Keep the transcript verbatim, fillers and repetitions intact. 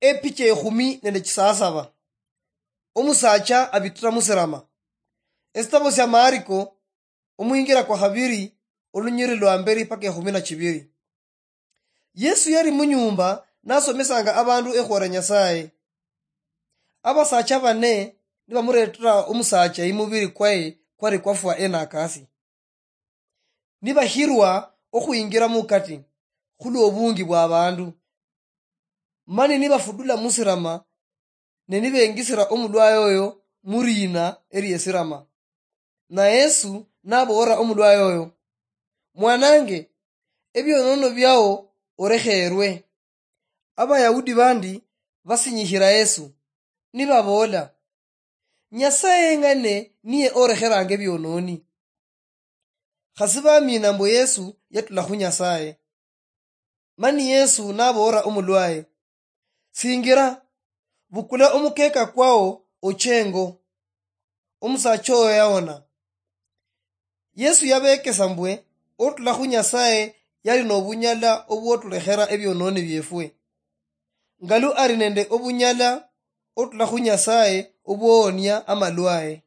Epicha ekhumi nende chisasaba. Omusacha abitira musirama. Esitabo sia Mariko, omwingira kwa khabiri, olunyiri lwa mberi paka ekhumi na chibiri. Yesu yali munyumba nasomesanga abandu ekhwora Nyasaye. Abasacha bane nibamuretera omusacha imubiri kwaye kwali kwafwa enakasi. Nibahirwa okhwingira mukati khulwobungi bwa abandu. Mani nibafudula musirama, ne nibengisira omulwaye oyo muriina eliesirama. Na Yesu naboolera omulwaye oyo, "Mwanange, ebionono biao orekheerwe." Abayahudi bandi basinyikhira Yesu, nibaboola, "Nyasaye eng'ane niye orekheranga ebiononi." Khasi bamiina mbu Yesu yatula khu Nyasaye. Mani Yesu naboolera omulwaye, "Singira, bukula omukeka kwao oche engo." Omusacha oyo yaona. Yesu yabekesa mbwe otula khu Nyasaye yali nobunyala obwotulekhera ebiononi biefwe. Ngalu ali nende obunyala otula khu Nyasaye obwowonia amalwaye.